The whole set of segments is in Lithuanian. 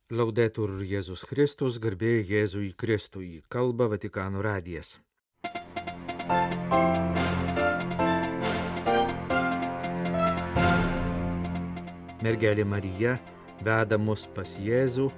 Laudetur Jėzus Kristus, garbė Jėzui Kristui, kalba Vatikano radijas. Mergelė Marija veda mus pas Jėzų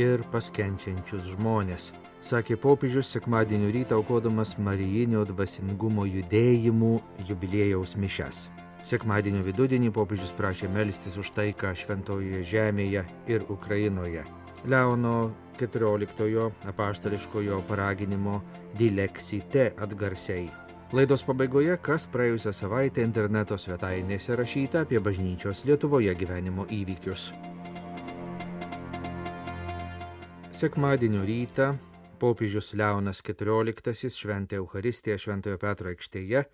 ir pas kenčiančius žmonės, sakė popiežius sekmadienio rytą aukodamas Marijinio dvasingumo judėjimų jubiliejaus mišias. Sekmadienio vidudienį popiežius prašė melstis už taiką šventojoje žemėje ir Ukrainoje. Leono XIV apaštališkojo paraginimo Dilexite atgarsiai. Laidos pabaigoje, kas praėjusią savaitę interneto svetainėse rašyta apie bažnyčios Lietuvoje gyvenimo įvykius. Sekmadienio rytą popiežius Leonas XIV šventė Eucharistiją Šventojo Petro aikštėje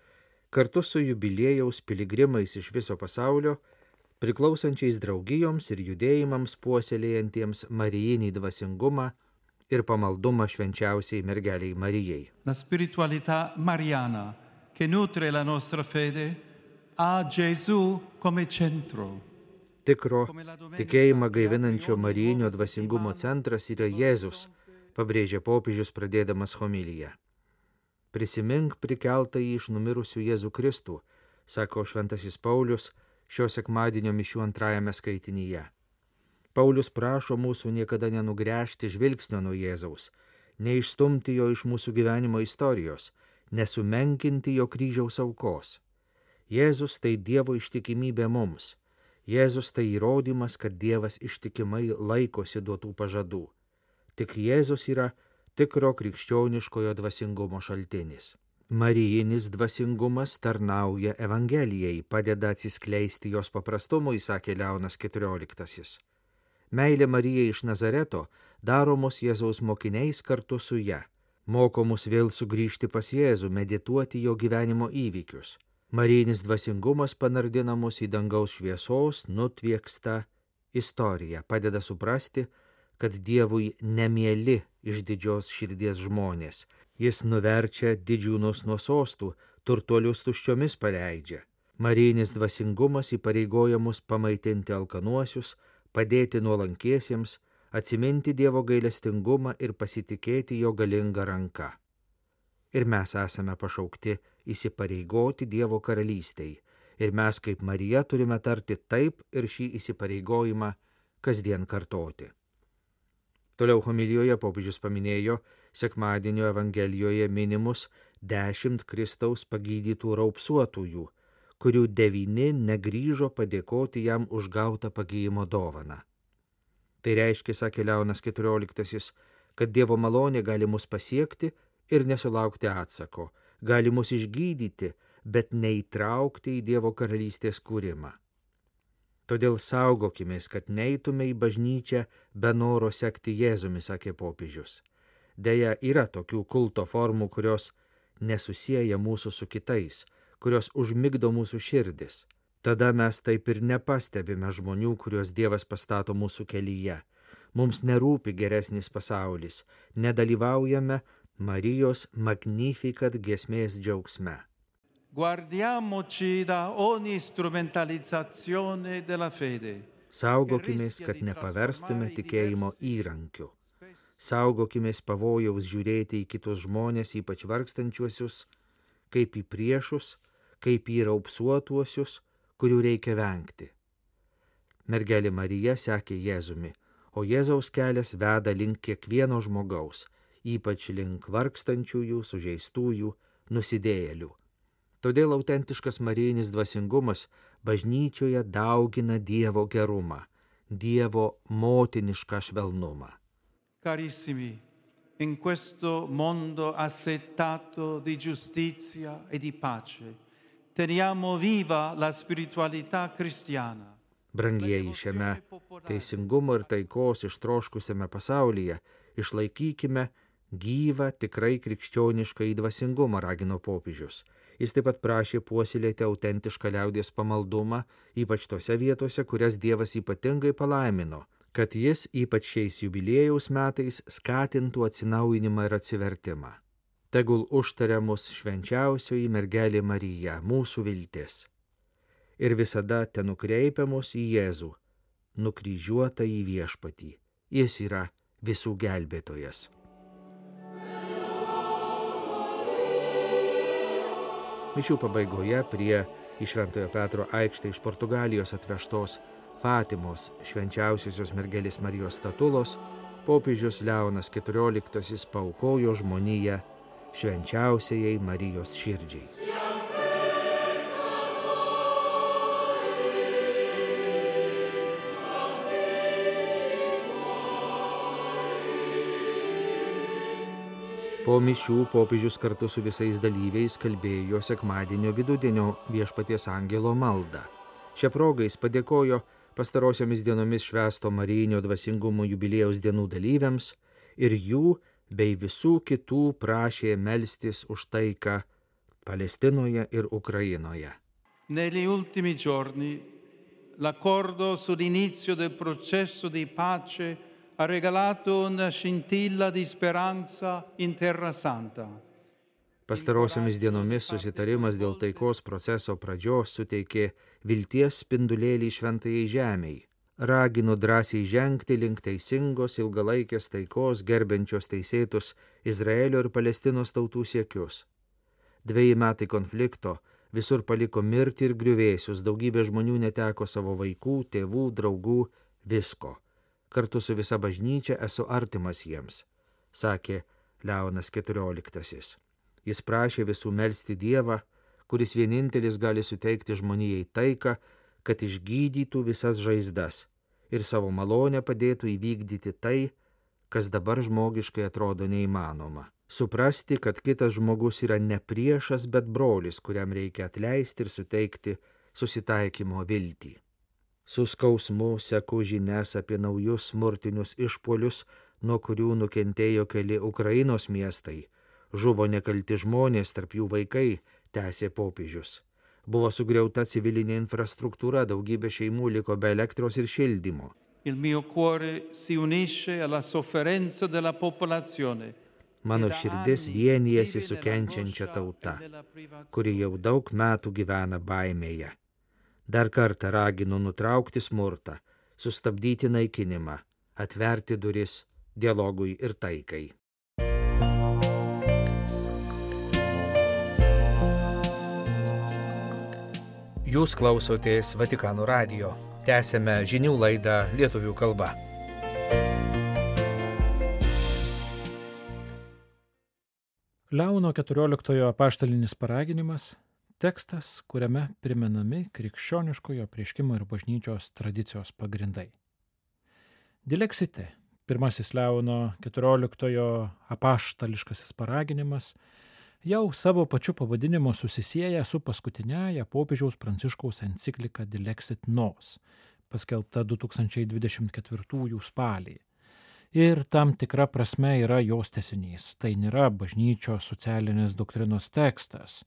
kartu su jubiliejaus piligrimais iš viso pasaulio, priklausančiais draugijoms ir judėjimams puoselėjantiems marijinį dvasingumą ir pamaldumą švenčiausiai mergeliai Marijai. La spiritualità mariana che nutre la nostra fede ha Gesù come centro. Tikro tikėjimą gaivinančio marijinio dvasingumo centras yra Jėzus, pabrėžė popiežius pradėdamas homiliją. Prisimink prikeltąjį iš numirusių Jėzų Kristų, sako šventasis Paulius šio sekmadienio mišių antrajame skaitinyje. Paulius prašo mūsų niekada nenugręžti žvilgsnio nuo Jėzaus, neišstumti jo iš mūsų gyvenimo istorijos, nesumenkinti jo kryžiaus aukos. Jėzus tai Dievo ištikimybė mums. Jėzus tai įrodymas, kad Dievas ištikimai laikosi duotų pažadų. Tik Jėzus yra tikro krikščioniškojo dvasingumo šaltinis. Marijinis dvasingumas tarnauja Evangelijai, padeda atsiskleisti jos paprastumui, sakė Leonas XIV. Meilė Marijai iš Nazareto daro mus Jėzaus mokiniais kartu su ja, moko mus vėl sugrįžti pas Jėzų, medituoti jo gyvenimo įvykius. Marijinis dvasingumas panardina mus į dangaus šviesos, nutviekstą istoriją, padeda suprasti, kad Dievui nemieli iš didžios širdies žmonės. Jis nuverčia didžiūnus nuo sostų, turtuolius tuščiomis paleidžia. Marijinis dvasingumas įpareigoja mus pamaitinti alkanuosius, padėti nuolankiesiems, atsiminti Dievo gailestingumą ir pasitikėti jo galingą ranką. Ir mes esame pašaukti įsipareigoti Dievo karalystei. Ir mes kaip Marija turime tarti taip ir šį įsipareigojimą kasdien kartoti. Toliau homilijoje popiežius paminėjo sekmadienio Evangelijoje minimus 10 Kristaus pagydytų raupsuotųjų, kurių 9 negrįžo padėkoti jam už gautą pagyjimo dovaną. Tai reiškia, sakė Leonas XIV, kad Dievo malonė gali mus pasiekti ir nesulaukti atsako, gali mus išgydyti, bet neįtraukti į Dievo karalystės kūrimą. Todėl saugokimės, kad neitume į bažnyčią be noro sekti Jėzumi, sakė popiežius. Deja, yra tokių kulto formų, kurios nesusieja mūsų su kitais, kurios užmigdo mūsų širdis. Tada mes taip ir nepastebime žmonių, kuriuos Dievas pastato mūsų kelyje. Mums nerūpi geresnis pasaulis, nedalyvaujame Marijos Magnificat giesmės džiaugsme. Guardiamoci da ogni strumentalizzazione della fede. Saugokimės, kad nepaverstume tikėjimo įrankiu. Saugokimės pavojaus žiūrėti į kitus žmonės, ypač vargstančiuosius, kaip į priešus, kaip į raupsuotuosius, kurių reikia vengti. Mergelė Marija sekė Jėzumi, o Jėzaus kelias veda link kiekvieno žmogaus, ypač link vargstančiųjų, sužeistųjų, nusidėjėlių. Todėl autentiškas marijinis dvasingumas bažnyčioje daugina Dievo gerumą, Dievo motinišką švelnumą. Carissimi, in questo mondo assetato di giustizia e di pace, teniamo viva la spiritualità cristiana. Brangieji, šiame teisingumo ir taikos ištroškusiame pasaulyje išlaikykime gyvą tikrai krikščionišką įdvasingumą, ragino popiežius. Jis taip pat prašė puoselėti autentišką liaudies pamaldumą, ypač tose vietose, kurias Dievas ypatingai palaimino, kad jis ypač šiais jubiliejaus metais skatintų atsinaujinimą ir atsivertimą. Tegul užtaria mus švenčiausioji mergelė Marija, mūsų viltis. Ir visada tenukreipia mus į Jėzų, nukryžiuotą į viešpatį, Jis yra visų gelbėtojas. Mišių pabaigoje prie į Šventojo Petro aikštę iš Portugalijos atvežtos Fatimos švenčiausiosios mergelės Marijos statulos popiežius Leonas XIV paaukojo žmoniją švenčiausiajai Marijos širdžiai. Po mišių popiežius kartu su visais dalyviais kalbėjo sekmadienio vidudienio Viešpaties angelo maldą. Šią progą jis padėkojo pastarosiomis dienomis švęsto Marijinio dvasingumo jubiliejaus dienų dalyviams ir jų bei visų kitų prašė melstis už taiką Palestinoje ir Ukrainoje. Negli ultimi giorni l'accordo sull'inizio del processo di pace ha regalato una scintilla di speranza in Terra Santa. Pastarosiomis dienomis susitarimas dėl taikos proceso pradžios suteikė vilties spindulėlį šventajai žemei. Ragino drąsiai žengti link teisingos ilgalaikės taikos, gerbiančios teisėtus Izraelio ir Palestinos tautų siekius. 2 metai konflikto visur paliko mirtį ir griuvėsius, daugybė žmonių neteko savo vaikų, tėvų, draugų, visko. Kartu su visa bažnyčia esu artimas jiems, sakė Leonas XIV. Jis prašė visų melsti Dievą, kuris vienintelis gali suteikti žmonijai taiką, kad išgydytų visas žaizdas ir savo malonę padėtų įvykdyti tai, kas dabar žmogiškai atrodo neįmanoma. Suprasti, kad kitas žmogus yra ne priešas, bet brolis, kuriam reikia atleisti ir suteikti susitaikymo viltį. Su skausmu seku žinias apie naujus smurtinius išpuolius, nuo kurių nukentėjo keli Ukrainos miestai. Žuvo nekalti žmonės, tarp jų vaikai, tęsė popiežius. Buvo sugriauta civilinė infrastruktūra, daugybė šeimų liko be elektros ir šildymo. Il mio cuore si unisce alla sofferenza della popolazione. Mano širdis vienijasi su kenčiančia tauta, kuri jau daug metų gyvena baimėje. Dar kartą raginu nutraukti smurtą, sustabdyti naikinimą, atverti duris dialogui ir taikai. Jūs klausotės Vatikano radijo. Tęsėme žinių laidą lietuvių kalba. Leono XIV apaštalinis paraginimas – tekstas, kuriame primenami krikščioniškojo apreiškimo ir bažnyčios tradicijos pagrindai. Dilexite, pirmasis Leono XIV apaštališkasis paraginimas, jau savo pačiu pavadinimu susisieja su paskutiniaja popiežiaus Pranciškaus enciklika Dilexit Nos, paskelbta 2024 spalį. Ir tam tikra prasme yra jos tęsinys. Tai nėra bažnyčios socialinės doktrinos tekstas.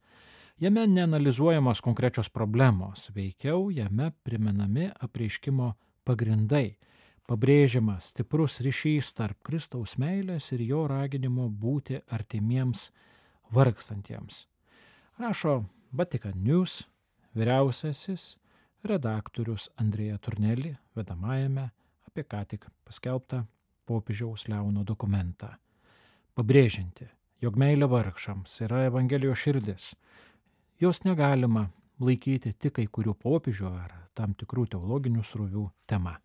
Jame neanalizuojamos konkrečios problemos, veikiau jame primenami apreiškimo pagrindai, pabrėžiamas stiprus ryšys tarp Kristaus meilės ir jo raginimo būti artimiems vargstantiems. Rašo Vatican News vyriausiasis redaktorius Andrea Tornelli vedamajame apie ką tik paskelbtą popiežiaus Leono dokumentą, pabrėžianti, jog meilė vargšams yra Evangelijos širdis. Jos negalima laikyti tik kai kurių popiežių ar tam tikrų teologinių srovių tema.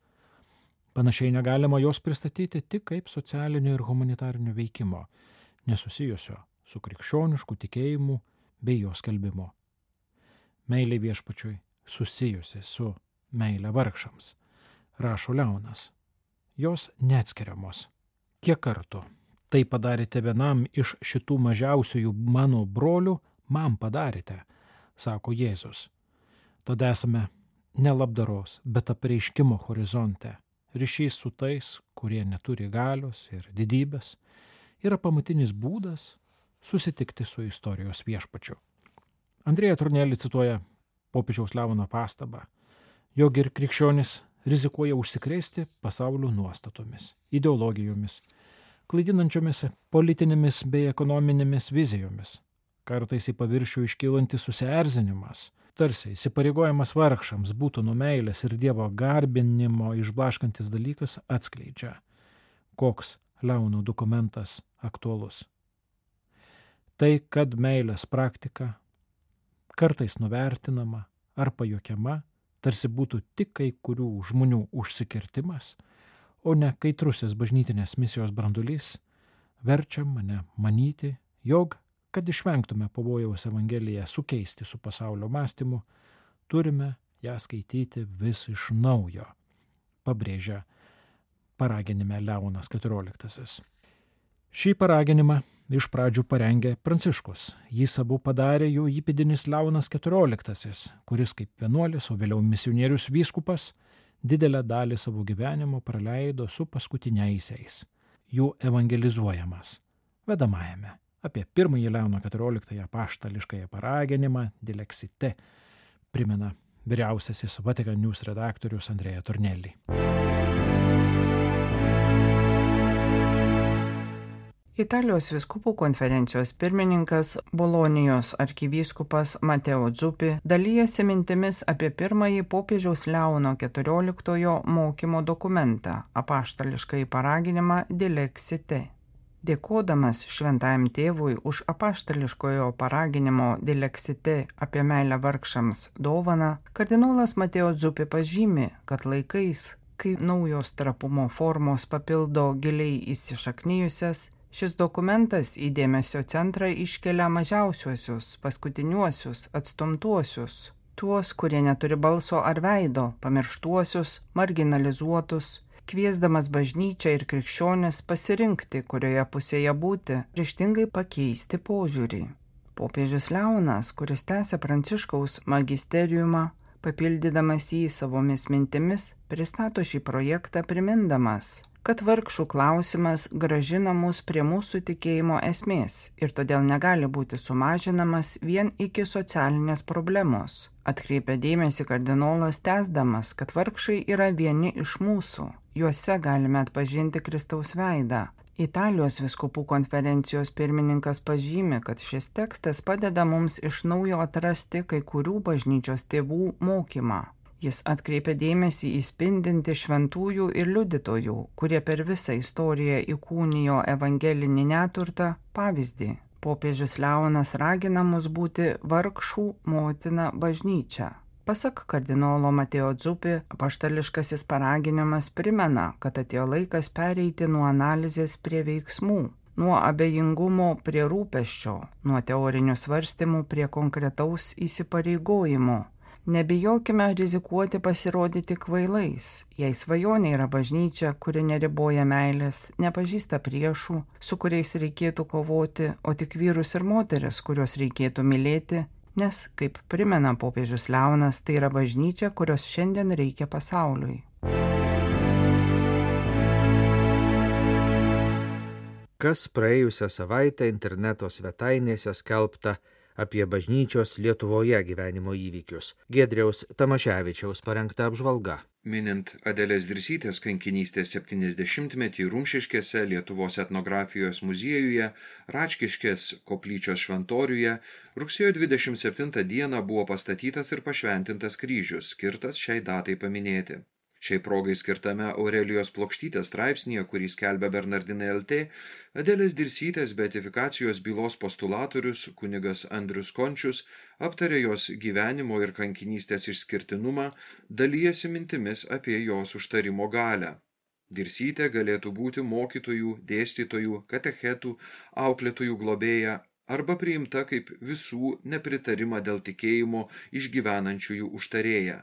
Panašiai negalima jos pristatyti tik kaip socialinio ir humanitarinio veikimo, nesusijusio su krikščionišku tikėjimu bei jo skelbimu. Meilė viešpačiui susijusi su meilė vargšams, rašo Leonas. Jos neatskiriamos. Kiek kartų tai padarėte vienam iš šitų mažiausiųjų mano brolių, man padarėte, sako Jėzus. Tada esame ne labdaros, bet apreiškimo horizonte. Ryšys su tais, kurie neturi galios ir didybės, yra pamatinis būdas susitikti su istorijos viešpačiu. Andrea Tornelli cituoja popiežiaus Leono pastabą, jog ir krikščionis rizikuoja užsikrėsti pasaulio nuostatomis, ideologijomis, klaidinančiomis politinėmis bei ekonominėmis vizijomis, kartais į paviršių iškylantis susierzinimas, tarsi įsipareigojimas vargšams būtų nuo meilės ir Dievo garbinimo išblaškantis dalykas atskleidžia, koks Leono dokumentas aktualus. Tai, kad meilės praktika kartais nuvertinama ar pajuokiama, tarsi būtų tik kai kurių žmonių užsikirtimas, o ne kaitrusis bažnytinės misijos brandulys, verčia mane manyti, jog, kad išvengtume pavojaus Evangeliją sukeisti su pasaulio mąstymu, turime ją skaityti vis iš naujo, pabrėžia paraginime Leonas XIV. Šį paraginimą iš pradžių parengė Pranciškus. Jis abu padarė jo įpėdinis Leonas XIV, kuris kaip vienuolis, o vėliau misionierius vyskupas, didelę dalį savo gyvenimo praleido su paskutiniaisiais, jų evangelizuojamas, vedamajame apie pirmąjį Leono XIV apaštališkąją paraginimą Dilexite, primena vyriausiasis Vatican News redaktorius Andrea Tornelli. Italijos vyskupų konferencijos pirmininkas Bolonijos arkivyskupas Mateo Zuppi dalyjasi mintimis apie pirmąjį popiežiaus Leono XIV mokymo dokumentą, apaštališkąjį paraginimą Dilexite. Dėkodamas šventajam tėvui už apaštališkojo paraginimo Dilexite apie meilę vargšams dovaną, kardinolas Mateo Zuppi pažymi, kad laikais, kai naujos trapumo formos papildo giliai įsišaknijusias, šis dokumentas į dėmesio centrą iškelia mažiausiuosius, paskutiniuosius, atstumtuosius, tuos, kurie neturi balso ar veido, pamirštuosius, marginalizuotus, kviesdamas bažnyčią ir krikščionis pasirinkti, kurioje pusėje būti, ryžtingai pakeisti požiūrį. Popiežius Leonas, kuris tęsia Pranciškaus magisteriumą, papildydamas jį savomis mintimis, pristato šį projektą primindamas, kad vargšų klausimas grąžina mus prie mūsų tikėjimo esmės ir todėl negali būti sumažinamas vien iki socialinės problemos. Atkreipia dėmesį kardinolas tęsdamas, kad vargšai yra vieni iš mūsų, juose galime atpažinti Kristaus veidą. Italijos vyskupų konferencijos pirmininkas pažymi, kad šis tekstas padeda mums iš naujo atrasti kai kurių bažnyčios tėvų mokymą. Jis atkreipia dėmesį į spindintį šventųjų ir liudytojų, kurie per visą istoriją įkūnijo evangelinį neturtą, pavyzdį. Popiežius Leonas ragina mus būti vargšų motina bažnyčia. Pasak kardinolo Mateo Zuppi, apaštališkasis paraginimas primena, kad atėjo laikas pereiti nuo analizės prie veiksmų, nuo abejingumo prie rūpesčio, nuo teorinių svarstymų prie konkretaus įsipareigojimo. Nebijokime rizikuoti pasirodyti kvailais, jei svajonė yra bažnyčia, kuri neriboja meilės, nepažįsta priešų, su kuriais reikėtų kovoti, o tik vyrus ir moteris, kuriuos reikėtų mylėti, nes, kaip primena popiežius Leonas, tai yra bažnyčia, kurios šiandien reikia pasauliui. Kas praėjusią savaitę interneto svetainėse skelbta apie bažnyčios Lietuvoje gyvenimo įvykius. Giedriaus Tamaševičiaus parengta apžvalga. Minint Adelės Dirsytės kankinystės 70-metį Rumšiškėse, Lietuvos etnografijos muziejuje, Račkiškės koplyčios šventoriuje, rugsėjo 27 dieną buvo pastatytas ir pašventintas kryžius, skirtas šiai datai paminėti. Šiai progai skirtame Aurelijos Plokštytės straipsnyje, kurį skelbia Bernardinai LT, Adelės Dirsytės beatifikacijos bylos postulatorius kunigas Andrius Končius aptarė jos gyvenimo ir kankinystės išskirtinumą, dalijasi mintimis apie jos užtarimo galią. Dirsytė galėtų būti mokytojų, dėstytojų, katechetų, auklėtojų globėja arba priimta kaip visų nepritarimą dėl tikėjimo išgyvenančiųjų užtarėja.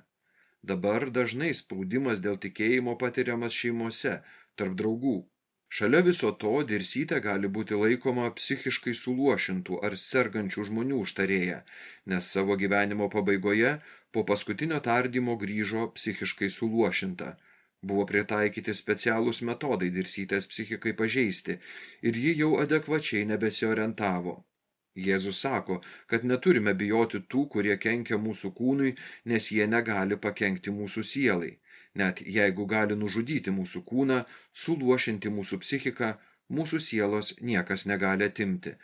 Dabar dažnai spaudimas dėl tikėjimo patiriamas šeimose, tarp draugų. Šalia viso to Dirsytė gali būti laikoma psichiškai suluošintų ar sergančių žmonių užtarėja, nes savo gyvenimo pabaigoje po paskutinio tardymo grįžo psichiškai suluošinta. Buvo pritaikyti specialūs metodai Dirsytės psichikai pažeisti ir ji jau adekvačiai nebesiorientavo. Jėzus sako, kad neturime bijoti tų, kurie kenkia mūsų kūnui, nes jie negali pakenkti mūsų sielai. Net jeigu gali nužudyti mūsų kūną, suluošinti mūsų psichiką, mūsų sielos niekas negali atimti,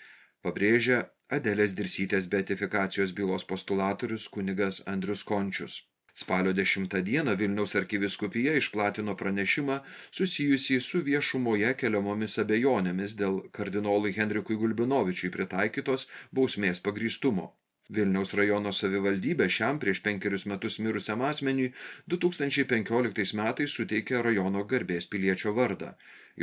pabrėžia Adelės Dirsytės beatifikacijos bylos postulatorius kunigas Andrius Končius. Spalio 10 dieną Vilniaus arkivyskupija išplatino pranešimą susijusį su viešumoje keliamomis abejonėmis dėl kardinolui Henrikui Gulbinovičiui pritaikytos bausmės pagrįstumo. Vilniaus rajono savivaldybė šiam prieš 5 metus mirusiam asmeniui 2015 metais suteikė rajono garbės piliečio vardą.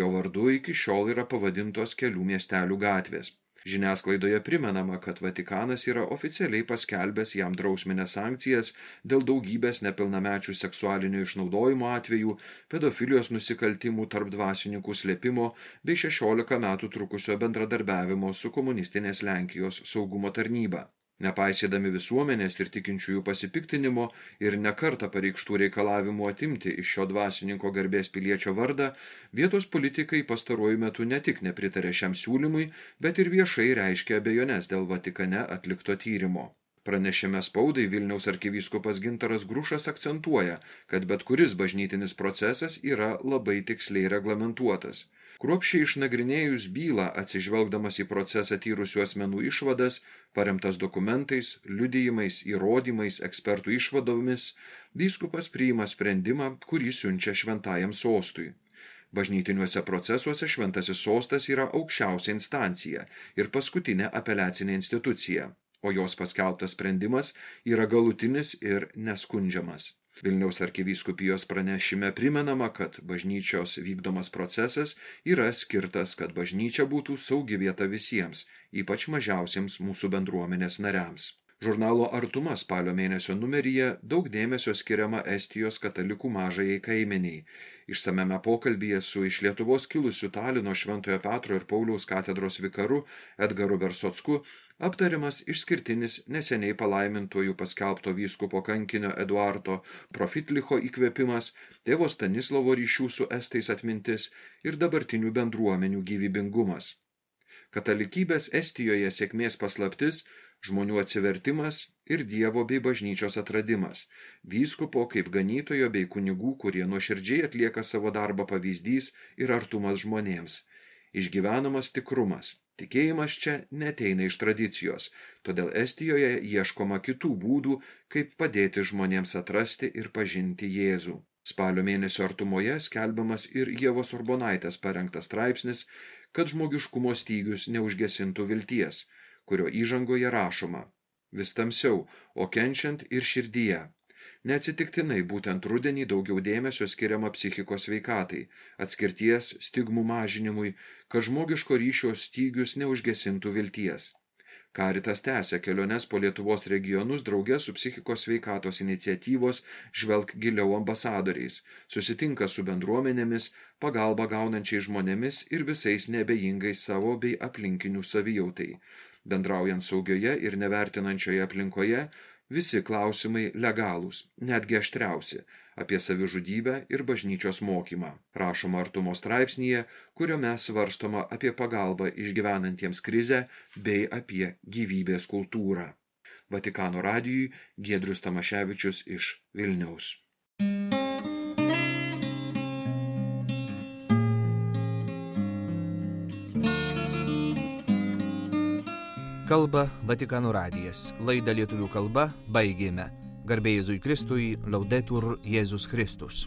Jo vardu iki šiol yra pavadintos kelių miestelių gatvės. Žiniasklaidoje primenama, kad Vatikanas yra oficialiai paskelbęs jam drausmines sankcijas dėl daugybės nepilnamečių seksualinio išnaudojimo atvejų, pedofilijos nusikaltimų tarp dvasininkų slėpimo bei 16 metų trukusio bendradarbiavimo su komunistinės Lenkijos saugumo tarnyba. Nepaisydami visuomenės ir tikinčiųjų pasipiktinimo ir nekartą pareikštų reikalavimų atimti iš šio dvasininko garbės piliečio vardą, vietos politikai pastaruoju metu ne tik nepritarė šiam siūlymui, bet ir viešai reiškė abejones dėl Vatikane atlikto tyrimo. Pranešime spaudai Vilniaus arkivyskupas Gintaras Grušas akcentuoja, kad bet kuris bažnytinis procesas yra labai tiksliai reglamentuotas. Kruopščiai išnagrinėjus bylą, atsižvelgdamas į procesą tyrusių asmenų išvadas, paremtas dokumentais, liudijimais, įrodymais, ekspertų išvadomis, vyskupas priima sprendimą, kurį siunčia šventajam sostui. Bažnytiniuose procesuose šventasis sostas yra aukščiausia instancija ir paskutinė apeliacinė institucija, o jos paskelbtas sprendimas yra galutinis ir neskundžiamas. Vilniaus arkivyskupijos pranešime primenama, kad bažnyčios vykdomas procesas yra skirtas, kad bažnyčia būtų saugi vieta visiems, ypač mažiausiems mūsų bendruomenės nariams. Žurnalo Artuma spalio mėnesio numeryje daug dėmesio skiriama Estijos katalikų mažajai kaimeniai. Išsamiame pokalbyje su iš Lietuvos kilusiu Talino Šventojo Petro ir Pauliaus katedros vikaru Edgaru Bersocku aptariamas išskirtinis neseniai palaimintojų paskelbto vyskupo kankinio Eduardo Profitlicho įkvėpimas, tėvo Stanislovo ryšių su estais atmintis ir dabartinių bendruomenių gyvybingumas. Katalikybės Estijoje sėkmės paslaptis – žmonių atsivertimas ir Dievo bei bažnyčios atradimas, vyskupo kaip ganytojo bei kunigų, kurie nuoširdžiai atlieka savo darbą pavyzdys ir artumas žmonėms. Išgyvenamas tikrumas. Tikėjimas čia neteina iš tradicijos, todėl Estijoje ieškoma kitų būdų, kaip padėti žmonėms atrasti ir pažinti Jėzų. Spalio mėnesio Artumoje skelbiamas ir Ievos Urbonaitės parengtas straipsnis, kad žmogiškumo stygius neužgesintų vilties, kurio įžangoje rašoma: vis tamsiau, o kenčiant ir širdyje. Neatsitiktinai būtent rudenį daugiau dėmesio skiriama psichikos sveikatai, atskirties, stigmų mažinimui, kad žmogiško ryšio stygius neužgesintų vilties. Caritas tęsia keliones po Lietuvos regionus drauge su psichikos sveikatos iniciatyvos Žvelk giliau ambasadoriais, susitinka su bendruomenėmis, pagalbą gaunančiais žmonėmis ir visais neabejingais savo bei aplinkinių savijautai. Bendraujant saugioje ir nevertinančioje aplinkoje, visi klausimai legalūs, netgi aštriausi, apie savižudybę ir bažnyčios mokymą. Rašoma Artumo straipsnyje, kuriame svarstoma apie pagalbą išgyvenantiems krizę bei apie gyvybės kultūrą. Vatikano radijui Giedrius Tamaševičius iš Vilniaus. Kalba Vatikano radijas. Laidą lietuvių kalba baigėme. Garbė Jėzui Kristui, Laudetur Jėzus Kristus.